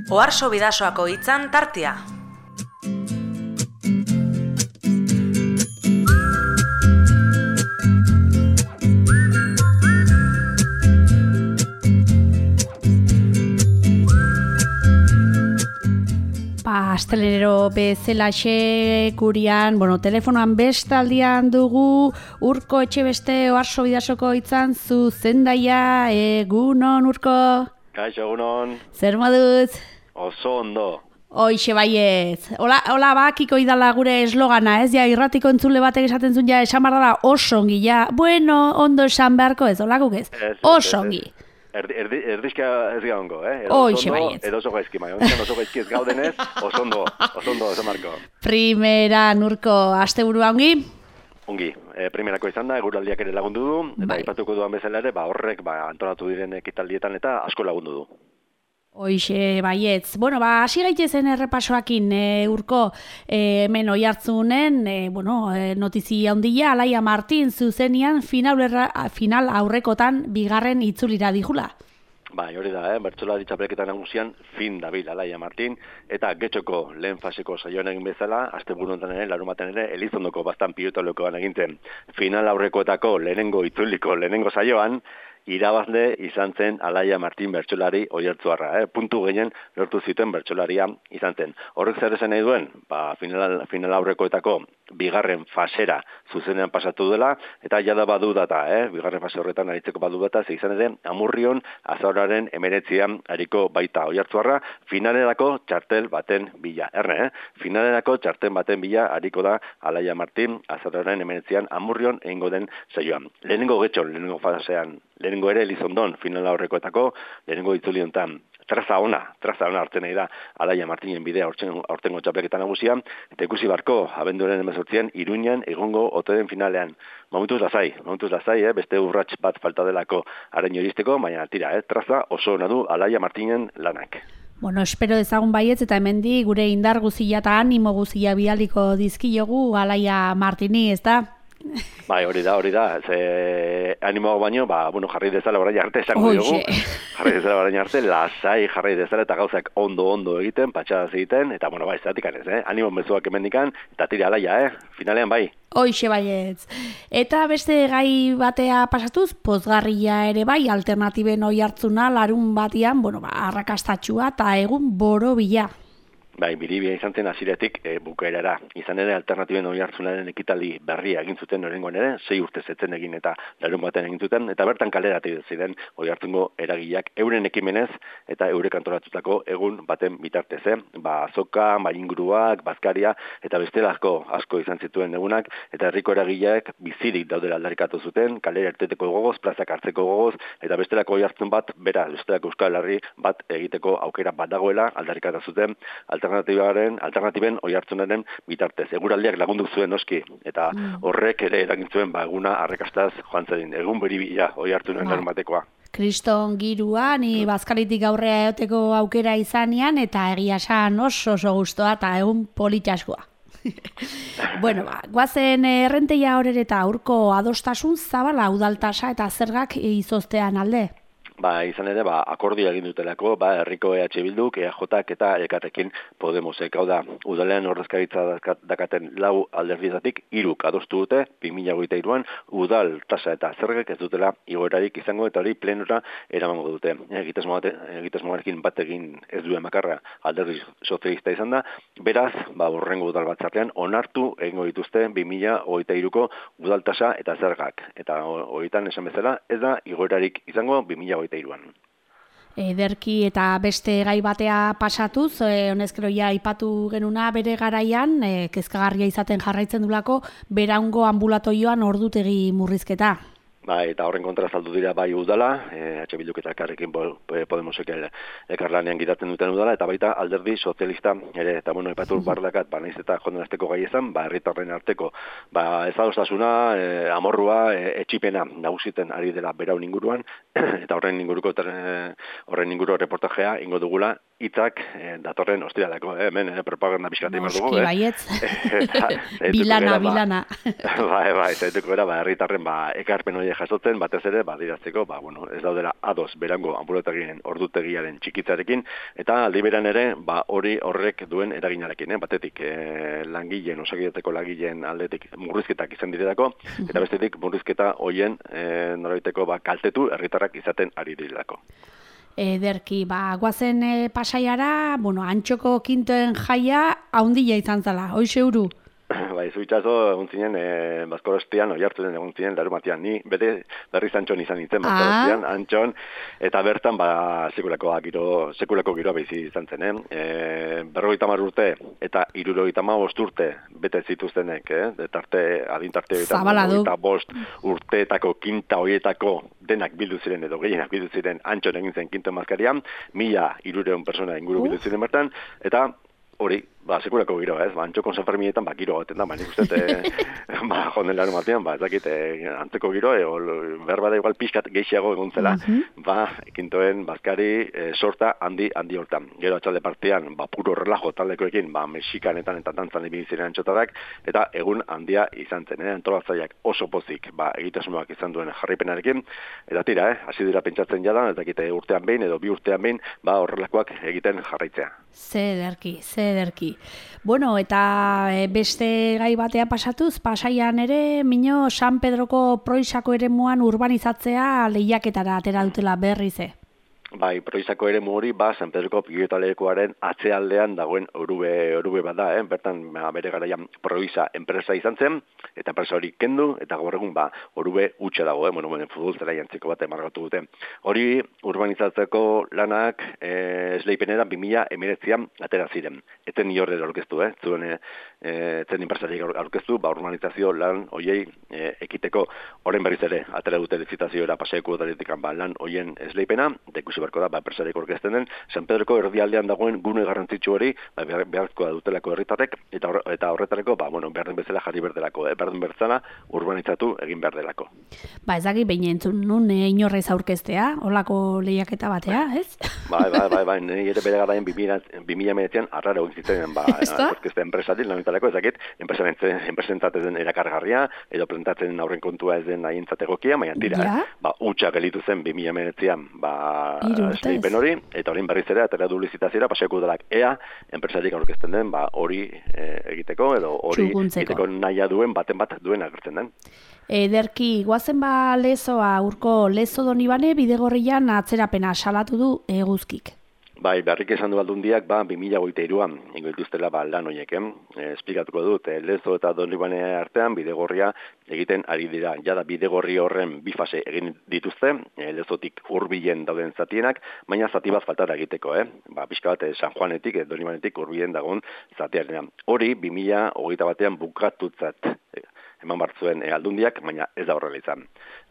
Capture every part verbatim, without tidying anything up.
Oarso Bidasoako hitzan tartea. Astelenero bezalaxe gurian, bueno, telefonoan bestaldian dugu Urko Etxebeste Oarso Bidasoko hitzan zuzendaia. Egunon, Urko? Kaixo, egunon. Zer moduz? Oso ondo. Hoixe baietz. Hola, hola bakiko idala gure eslogana, ez? Ja, irratiko entzule batek esaten zuen, ja, esan barra da oso ongi, ja. Bueno, ondo esan beharko ez, hola guk ez? Oso ongi. Erdi, erdi, erdizka ez gaungo, eh? Hoixe baietz. Edo oso gaizki, bai. Oso gaizki ez gaudenez, oso ondo, oso ondo, esan marko. Primera, Urko, asteburua ongi? Ongi, e, primerako izan da, eguraldiak ere lagundu du, eta bai. Aipatuko duan bezala ere, ba, horrek ba, antolatu diren ekitaldietan eta asko lagundu du. Hoixe baietz. Bueno, ba, hasi gaitezen errepasoakin, e, Urko, e, hemen oihartzunen, e, bueno, e, notizia handia, Alaia Martin zuzenian final, erra, final aurrekotan bigarren itzulira dijula. Bai, hori da, eh? Bertsolari txapelketa nagusian fin dabil Alaia Martin, eta getxoko lehen faseko saioan egin bezala, asteburu honetan ere, larumaten ere, Elizondoko bastan pilotalokoan eginten final aurrekoetako lehenengo itzuliko lehenengo saioan, irabazle izan zen Alaia Martin bertsolari oihartzuarra, eh? Puntu gehien lortu zituen bertsolaria izan zen. Horrek zer esan nahi duen? Ba, final, final aurrekoetako bigarren fasera zuzenean pasatu dela, eta jada badu data, eh? Bigarren fase horretan aritzeko badu data, ze izan ere, Amurrion azauraren emeretzian ariko baita oihartzuarra, finalerako txartel baten bila. Erne, eh? Finalerako txartel baten bila ariko da Alaia Martin azauraren emeretzian Amurrion egingo den saioan. Lehenengo getxon, lehenengo fasean, lehenengo ere Elizondon finala horrekoetako, lehenengo itzuli honetan. Traza ona, traza ona hartzen nahi da Alaia Martinen bidea aurtengo txapelketa nagusia, eta ikusi barko, abenduaren hemezortzian, Iruñan egongo ote den finalean. Momentuz lasai, momentuz lasai, eh? Beste urrats bat falta delako haren iristeko, baina tira, eh? Traza oso ona du Alaia Martinen lanak. Bueno, espero dezagun baietz eta hemendi gure indar guzia eta animo guzia bialiko dizkiogu Alaia Martini, ez da? Bai, hori da, hori da. Ze animo baino, ba, bueno, jarri dezala orain arte esango diogu. Jarri dezala orain arte, lasai jarri dezala eta gauzak ondo-ondo egiten, patxadaz egiten, eta, bueno, bai, zeratik anez, eh? Animo mezuak emendikan, eta tira Alaia, eh? Finalean, bai. Hoixe baietz. Eta beste gai batea pasatuz, pozgarria ere bai, alternatiben oihartzuna larun batian, bueno, ba, arrakastatxua eta egun borobila. Bai, biribia izan zen hasieratik e, bukaerara. Izan ere, alternatiben oihartzunaren ekitaldi berria egin zuten norengoen ere, sei urte zetzen egin eta larun baten egin zuten, eta bertan kaleratu ziren oihartzungo eragileak euren ekimenez eta eurek antolatutako egun baten bitartez. Eh? Ba, azoka, mainguruak, bazkaria, eta bestelazko asko izan zituen egunak, eta herriko eragileak bizirik daudela aldarrikatu zuten, kalera erteteko gogoz, plazak hartzeko gogoz, eta bestelako oihartzun bat, bera, bestelako Euskal Herri bat egiteko aukera bat dagoela aldarrikatu zuten, alternatibaren, alternatiben oihartzunaren bitartez. Eguraldiak lagundu zuen noski, eta horrek ere eragin zuen ba, eguna arrakastaz joan zedin. Egun beribila oihartzunen larun batekoa. Kriston girua, ni bazkalitik aurrea eoteko aukera izanean, eta egia esan oso oso gustoa eta egun politxaskua. Bueno, ba, guazen errenteia horre eta Urko adostasun zabala udaltasa eta zergak izoztean alde. Ba, izan ere, ba, akordia egin dutelako, ba, herriko E H Bilduk, E A Jk eta Elkarrekin Podemosek. Hau da, udalean ordezkaritza dakaten lau alderdietatik hiruk adostu dute, bi mila hogeita hiruan, udal tasa eta zergek ez dutela igoerarik izango, eta hori plenora eramango dute. Egitasmoarekin bat egin ez duen bakarra alderdi sozialista izan da, beraz, ba, urrengo udal batzartean onartu egingo dituzte bi mila hogeita hiruko udal tasa eta zergak. Eta horietan esan bezala, ez da igoerarik izango bi mila hogeita iruan. Ederki eta beste gai batea pasatuz, e, honezkero ja aipatu genuna bere garaian, e, kezkagarria izaten jarraitzen dulako, beraungo ambulatoioan ordutegi murrizketa. Bai, eta horren kontra saldu dira bai udala, eh H Bilduk eta Elkarrekin Podemosek elkarlanean gidatzen duten udala, eta baita alderdi sozialista ere, eta bueno, aipatu bardakat, ba naiz eta jonden asteko gai izan, ba herritarren arteko, ba ezadostasuna, e, amorrua, e, etxipena nagusiten ari dela beraun inguruan, eta horren inguruko horren inguru reportajea ingo dugula hitzak e, datorren ostiraleko, eh? Hemen e, propaganda pixkat egin dugu. Noski, baietz. Bilana, bilana. Bai, bai, zaituko era, ba, herritarren ba, ekarpen horiek jasotzen, batez ere, ba, dirazteko, ba, bueno, ez daudela ados berango anbulatagien ordutegiaren txikitzarekin, eta aldi beran ere, ba, hori horrek duen eraginarekin, eh? Batetik, e, langileen, osakidetzeko langileen aldetik murrizketak izan direlako, eta bestetik murrizketa hoien e, noraiteko ba, kaltetu herritarrak izaten ari direlako. Ederki, ba, guazen e, pasaiara, bueno, antxoko kintoen jaia haundia izan zala, hoxe uru? Bai, zuitzazo, egun zinen, e, Bazkorostian, oi hartzen egun zinen, larumatian, ni bete berriz antxon izan nintzen, Bazkorostian, ah. antxon, eta bertan, ba, sekulako giro, sekulako giroa bizi izan zen, eh? E, berrogeita hamar urte, eta hirurogeita hamabost urte, bete zituztenek, eh? Tarte, adintarte, eta bost urteetako, kinta hoietako, denak bildu ziren, edo gehienak bildu ziren, antxon egin zen kinto mazkarian, mila hirureun persona inguru bildu ziren bertan, eta hori, ba, sekulako giroa, ez? Ba, antxoko Sanferminetan, ba, giro gaten da, ba, nik uste, e, ba, jonden larun batean, ba, ez dakit, e, antzeko giro, e, behar bada igual pixkat gehiago egon zela, uh-huh. ba, ekintoen, bazkari, e, sorta handi, handi hortan. Gero atxalde partean, ba, puro relajo taldekoekin, ba, mexikanetan eta dantzan ibili ziren antxotadak, eta egun handia izan zen, eh? Antolatzaileak oso pozik, ba, egitasmoak izan duen jarraipenarekin, eta tira, eh? Hasi dira pentsatzen jadan, ez dakit, urtean behin, edo bi urtean behin, ba, horrelakoak egiten jarraitzea. Zederki, zederki. Bueno, eta beste gai batea pasatuz, Pasaian ere, mino San Pedroko proizako eremuan urbanizatzea lehiaketara atera dutela berrize. Bai, proizako ere hori, ba, San Pedroko pilotalekuaren atzealdean dagoen orube, orube bat da, eh? Bertan, ba, bere garaian proiza enpresa izan zen, eta enpresa hori kendu, eta gaur egun, ba, orube utxe dago, eh? Bueno, bueno, futbol zela jantziko bat emargatu dute. Hori, urbanizatzeko lanak, eh, esleipenera bi mila hemeretzian atera ziren. Eten ni horre aurkeztu, eh? Zuen, eh, zen enpresariak aurkeztu, ba, urbanizazio lan hoiei eh, ekiteko horren berriz ere, atera dute lizitazioera paseeko daletik ba, lan hoien esleipena, eta ikusi barko da, ba, enpresariak orkesten den, San Pedroko erdialdean dagoen gune garrantzitsu hori, ba, beharko da dutelako herritarrek, eta, hor, eta horretareko, ba, bueno, behar den bezala jarri berdelako, eh? Behar den bertzala urbanizatu egin behar delako. Ba, ezagik behin entzun nun e, inorrez aurkeztea, holako lehiaketa batea, ez? Bai, bai, bai, bai, nire ere bere garaien bi mila meretzian arraro egin ba, aurkezte enpresatik, lanuntarako, ezakit, enpresentzat ez den erakargarria, edo presentatzen aurren kontua ez den nahientzat egokia, baina tira, ja? eh? Ba, utxa gelitu zen bi mila meretzian, ba, esleipen hori, eta horien berriz ere, atera du lizitaziora, paseako udalak ea, enpresarik aurkezten den, ba, hori e, egiteko, edo hori egiteko nahia duen, baten bat duen agertzen den. Ederki, guazen ba lezoa, urko lezo donibane, bidegorrian atzerapena salatu du eguzkik. Bai, beharrik esan du aldundiak, ba, bi mila hogeita hiruan, ingo dituztela, ba, lan horiek, eh? E, esplikatuko dut, e, lezo eta donibane artean, bidegorria egiten ari dira. Jada bidegorri horren bi fase egin dituzte, e, lezotik hurbilen dauden zatienak, baina zati bat faltara egiteko, eh? Ba, pixka bat, e, San Juanetik, e, donibanetik hurbilen dagoen zatiarenean. Hori, bi mila hogeita batean bukatutzat e, eman bartzuen e, aldundiak, baina ez da horrela izan.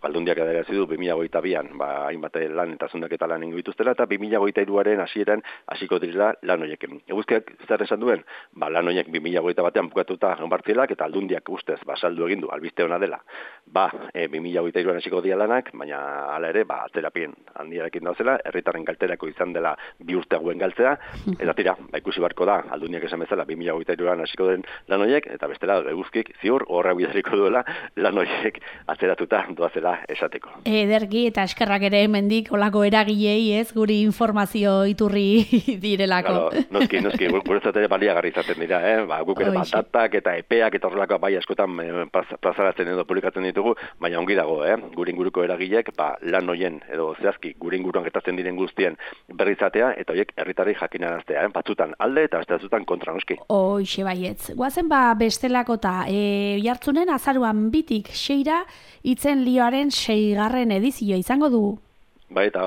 Aldundiak adarazi du bi mila hogeita bian, ba, hainbat lan eta zundaketa lan ingo dituztela, eta bi mila hogeita hiruaren hasieran hasiko direla lan horiekin. Eguzkiak zer esan duen, ba, lan horiek bi mila hogeita batean bukatuta onbartzielak, eta aldundiak ustez, ba, saldu egin du, albiste ona dela. Ba, e, bi mila hogeita hiruan hasiko dira lanak, baina hala ere, ba, atzerapien handiarekin dauzela, herritarren galterako izan dela bi urte hauen galtzea, eta tira, ba, ikusi barko da, aldundiak esan bezala, bi mila hogeita hiruan hasiko den lan horiek, eta bestela, eguzkik ziur, horra bidariko duela, lan horiek atzeratuta doazela esateko. Ederki eta eskerrak ere hemendik olako eragilei, ez, guri informazio iturri direlako. Claro, noski, noski, guretzat ere baliagarri izaten dira, eh? Ba, guk ere batatak eta epeak eta horrelako bai askotan eh, plazaratzen edo publikatzen ditugu, baina ongi dago, eh? Gure inguruko eragilek, ba, lan hoien edo zehazki gure inguruan gertatzen diren guztien berrizatea eta horiek herritarrei jakinaraztea, eh? Batzutan alde eta beste batzutan kontra, noski. Hoixe baietz. Guazen ba bestelakota, e, jartzunen azaruan bitik seira itzen lioaren seigarren edizioa izango du. Bai, eta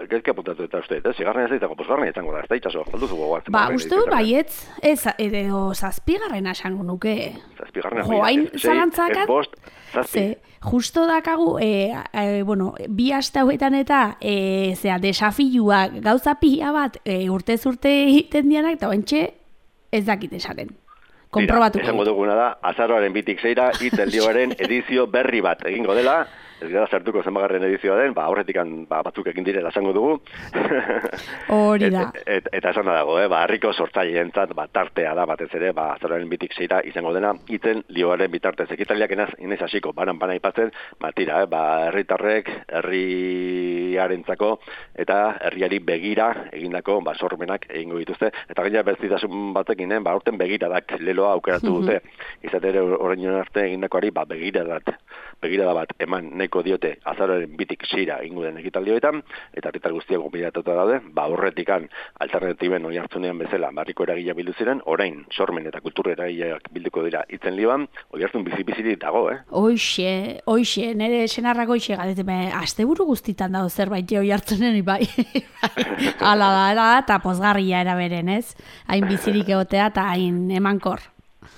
gezki apuntatu eta uste, eh? Seigarren ez daitako, posgarren izango da, ez da itxaso, falduzu gogoatzen. Ba, uste dut baietz, ez, edo zazpigarren esango nuke. Zazpigarren, jo, hain zalantzakat, bost, zazpi. Ze, justo dakagu, e, e, bueno, bi aste hauetan eta, e, zera, desafilua gauza pila bat, e, urtez urte egiten dianak, eta bentxe ez dakit esaten. Esango duguna da, azaroaren bitik zeira, itzelioaren edizio berri bat egingo dela, ez gara sartuko zenbagarren edizioa den, ba, horretikan ba, batzuk egin direla esango dugu. Hori da. Et, et, eta esan dago, eh? ba, harriko sortzaileentzat ba, tartea da batez ere, ba, azaroaren bitik seira izango dena, itzen lioaren bitartez. Ekitaliak enaz, inez hasiko, banan bana ipatzen, ba, tira, eh? ba, herritarrek, herriarentzako, eta herriari begira egindako ba, sormenak egingo dituzte. Eta gaina bertzitasun batekin, eh? ba, aurten begiradak leloa aukeratu dute. Izatere orain arte egindakoari ba, begiradat, begirada bat eman neko diote azaroaren bitik seira egingo den ekitaldioetan, eta herritar guztiak gonbidatuta daude, ba, horretikan alternatiben hori hartzunean bezala, barriko eragilea bildu ziren, orain sormen eta kultur eragileak bilduko dira itzen liban, hori hartzun bizi-bizirik dago, eh? Oixe, oixe, nire senarrako oixe galeteme, asteburu guztitan dago zerbait hori hartzunen, bai. Hala da, da, eta pozgarria eraberen, ez? Hain bizirik egotea eta hain emankor.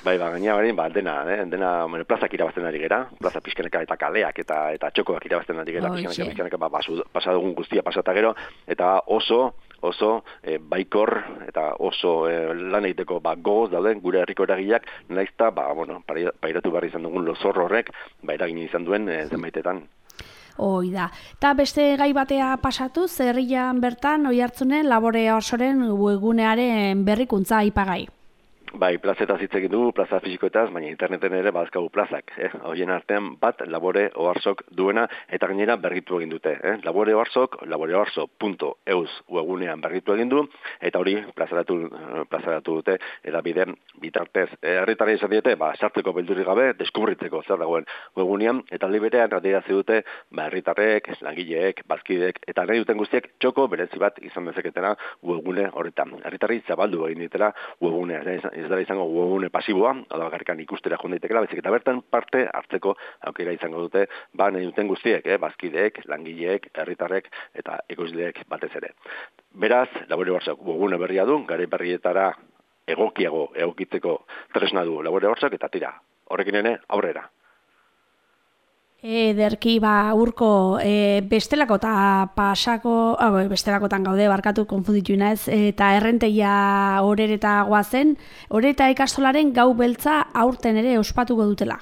Bai, ba, gaina barin, ba, dena, eh? dena, bueno, plazak irabazten ari gera, plaza pixkaneka eta kaleak eta eta txokoak irabazten ari gera, pixkaneka, pixkaneka, ba, pasadugun guztia pasata gero, eta oso, oso e, baikor eta oso e, lan egiteko ba, gogoz dauden gure herriko eragileak, naizta, ba, bueno, pairatu barri izan dugun lozor horrek, ba, eragin izan duen e, zenbaitetan. Hoi da. Eta beste gai batea pasatu, zerrian bertan, oi hartzunen, labore osoren webgunearen berrikuntza aipagai. Bai, plazetaz hitz egin dugu, plaza fisikoetaz, baina interneten ere bazkagu plazak. Eh? Horien artean bat labore oarsok duena, eta gainera berritu egin dute. Eh? Labore oarsok, laboreoarso punto eus webgunean berritu egin du, eta hori plazaratu, plazaratu dute, edabideen bitartez. Herritarrei esan diete, ba, sartzeko beldurrik gabe, deskubritzeko zer dagoen webgunean, eta liberean adierazi dute, ba, herritarrek, langileek, bazkideek, eta nahi duten guztiek txoko berezi bat izan dezaketena webgune horretan. Herritarrei zabaldu egin ditela webgunea, ez dara izango webgune pasiboa, hau bakarrikan ikustera joan daitekela, bezik eta bertan parte hartzeko aukera izango dute, ba nahi duten guztiek, eh, bazkideek, langileek, herritarrek eta ekoizleek batez ere. Beraz, labore barzak webgune berria du, gare berrietara egokiago egokitzeko tresna du labore barzak, eta tira, horrekin ere aurrera. Ederki, ba, urko, e, bestelako eta pasako, ah, bestelakotan gaude, barkatu konfunditu naiz, eta errenteia horereta guazen, horereta ikastolaren gau beltza aurten ere ospatuko dutela.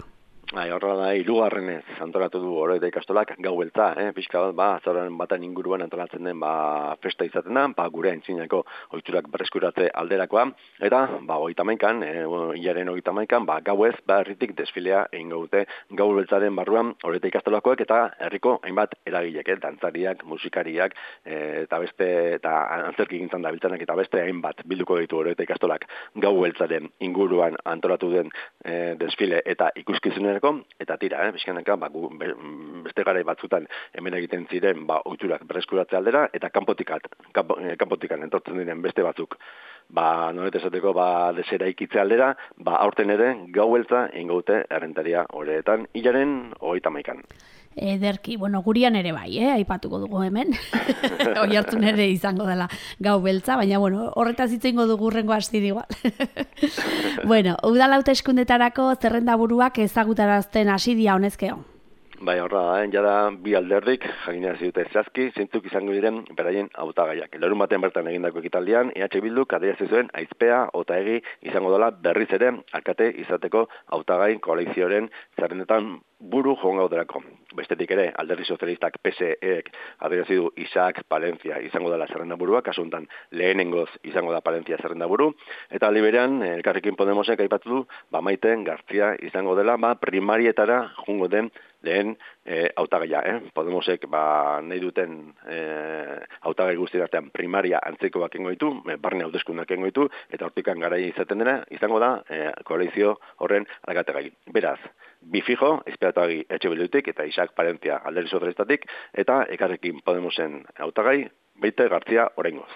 Bai, horra da, hirugarrenez antolatu du horreta ikastolak gau beltza, eh? Pixka bat, ba, azaroaren baten inguruan antolatzen den ba, festa izaten da, ba, gure aintzinako ohiturak berreskuratze alderakoa, eta ba, hogeita hamaikan, eh, hilaren hogeita hamaikan, ba, gauez, ba, herritik desfilea egingo dute gau beltzaren barruan horreta ikastolakoak eta herriko hainbat eragilek, eh? Dantzariak, musikariak, eh, eta beste, eta antzerki gintzan dabiltzanak eta beste hainbat bilduko ditu horreta ikastolak gau beltzaren inguruan antolatu den eh, desfile eta ikuskizunera. Eta tira, eh, bizkanaka, ba, beste garai batzutan hemen egiten ziren ba, ohiturak berreskuratze aldera, eta kanpotikat, kanpo, kanpotikan entortzen diren beste batzuk, ba, noret esateko, ba, desera ikitze aldera, ba, aurten ere gau beltza egingo dute errentaria horretan, hilaren hogeita hamaikan. Ederki, bueno, gurian ere bai, eh? Aipatuko dugu hemen. Hoi hartzun ere izango dela gau beltza, baina, bueno, horretaz hitz egingo dugu hurrengo astiri igual. Bueno, udal hauteskundetarako zerrenda buruak ezagutarazten hasi dira honezkeo. Bai, horra da, eh? Jada bi alderdik jakinarazi dute zehazki, zeintzuk izango diren beraien hautagaiak. Larun batean bertan egindako ekitaldian, E H Bilduk adierazi zuen aizpea Otaegi izango dela berriz ere alkate izateko hautagai koalizioaren zerrendetan buru joan gauderako. Bestetik ere, alderdi sozialistak P S Ek adierazi du Isaac Palencia izango dela zerrenda burua, kasu honetan lehenengoz izango da Palencia zerrenda buru, eta liberean Elkarrekin Podemosek aipatu du, ba Maiten Gartzia izango dela, ba primarietara jungo den lehen e, hautagaia, eh? Podemosek ba, nahi duten e, hautagai guztien artean primaria antzekoak engo ditu, e, barne hauteskundak engo ditu, eta hortikan garai izaten dena, izango da e, koalizio horren alkategai. Beraz, bi fijo, izpeatagi Etxe Bildutik eta Isaac Palencia alderdi sozialistatik, eta Elkarrekin Podemosen hautagai, Maite Gartzia oraingoz.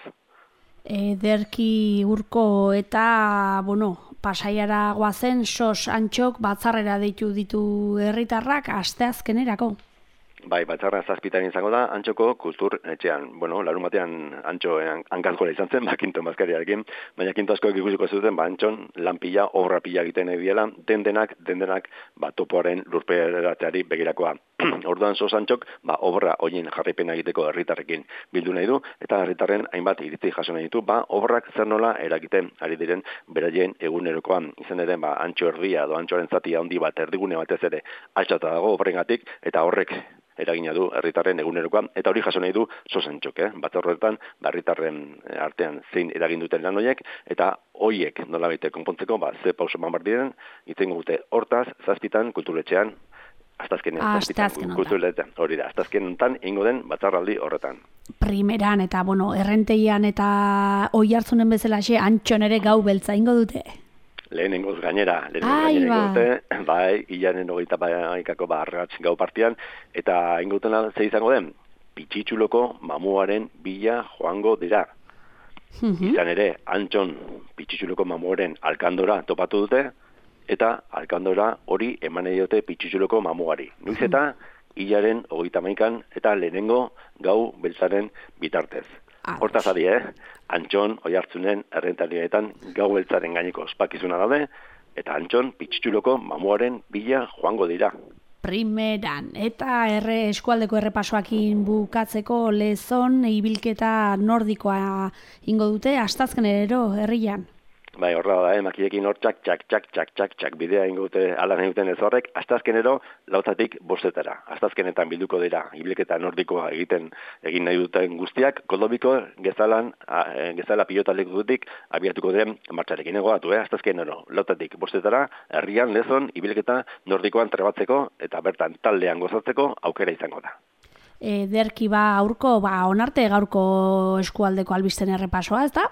Ederki urko eta, bueno, Pasaiara goazen sos antxok batzarrera deitu ditu herritarrak asteazkenerako. Bai, batzarra zazpitan izango da, Antxoko kultur etxean. Bueno, larun batean Antxo hankazgora izan zen, ba, kinton bazkariarekin, baina kinto askoek ikusiko zuten, ba, Antxon lanpila, obra pila egiten egiela, den denak, den denak, ba, topoaren lurperatzeari begirakoa. Orduan Sosantxok, ba, obra hoien jarraipena egiteko herritarrekin bildu nahi du, eta herritarren hainbat iritzi jaso nahi ditu, ba, obrak zer nola eragiten ari diren beraien egunerokoan. Izan ere, ba, antxo erdia edo antxoaren zatia handi bat erdigune batez ere altxata dago obrengatik, eta horrek eragina du herritarren egunerokoan, eta hori jaso nahi du Sosantxok, eh? Batzar horretan, ba, herritarren artean zein eragin duten lan horiek, eta hoiek nolabait konpontzeko, ba, ze pauso eman behar diren, itzen gute hortaz, zazpitan, kulturetxean, Astazkenen, Astazken kulturetan, hori da, astazken hontan ingo den batzarraldi horretan. Primeran eta, bueno, errenteian eta oi hartzunen bezalaxe, antxon ere gau beltza ingo dute. Lehenengoz gainera, lehenengoz gainera ingo dute, bai, hilaren hogeita baikako barratx gau partian, eta ingo dutena ze izango den, Pitzitxuloko mamuaren bila joango dira. Izan ere, antxon Pitzitxuloko mamuaren alkandora topatu dute, eta alkandora hori eman ediote Pitzitxuloko mamuari. Nuiz eta hilaren hogeita maikan eta lehenengo gau beltzaren bitartez. Hortaz adi, eh? Antxon, oi hartzunen, errentarietan gau beltzaren gaineko ospakizuna daude, eta antxon Pitzitxuloko mamuaren bila joango dira. Primeran, eta erre eskualdeko errepasoakin bukatzeko lezon ibilketa nordikoa ingo dute, astazkenero herrian. Bai, horra da, eh, makiekin hor txak, txak, txak, txak, txak, txak, bidea ingute alan egiten ez horrek, astazkenero lautatik bostetara. Astazkenetan bilduko dira, ibilketa nordikoa egiten egin nahi duten guztiak, Koldobiko gezalan, a, e, gezala pilotalek dutik abiatuko den martxarekin egoatu, eh, astazkenero lautatik bostetara, herrian lezon ibilketa nordikoan trebatzeko eta bertan taldean gozatzeko aukera izango da. E, derki ba aurko, ba onarte gaurko eskualdeko albisten errepasoa, ez da?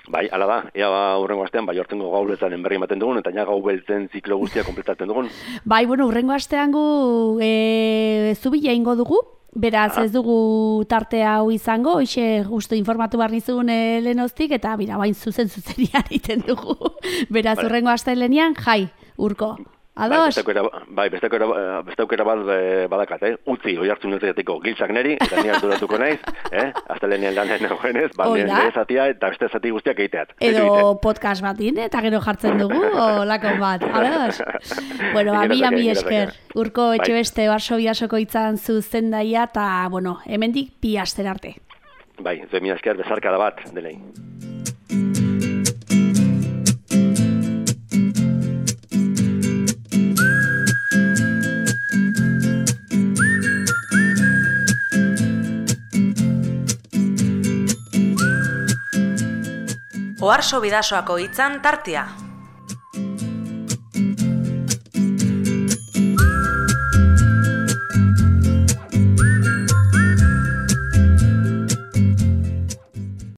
Bai, ala da, ea ba, urrengo astean, bai, hortengo gau beltzaren berri ematen dugun, eta ja gau beltzen ziklo guztia kompletatzen dugun. Bai, bueno, urrengo astean gu e, zubila ingo dugu, beraz ez dugu tarte hau izango, hoxe justu informatu behar nizun e, lehenoztik, eta bira, bain zuzen zuzenian iten dugu. Beraz, vale. Urrengo astean lehenian, jai, urko. Ados? Bai, beste aukera bat badakat, eh? Utzi, oi hartzun netzatiko giltzak neri, eta ni harturatuko naiz, eh? Azta lehenian lanen nagoenez, ba, nire zatia eta beste zati guztiak egiteat. Edo podcast batin, eta gero jartzen dugu, o lakon bat, ados? Bueno, ami, ami esker, urko etxe beste barso bidasoko itzan zuzen daia, eta, bueno, hemendik bi aster arte. Bai, zuen mi esker bezarkada bat, denei. Oharso bidasoako hitzan tartea.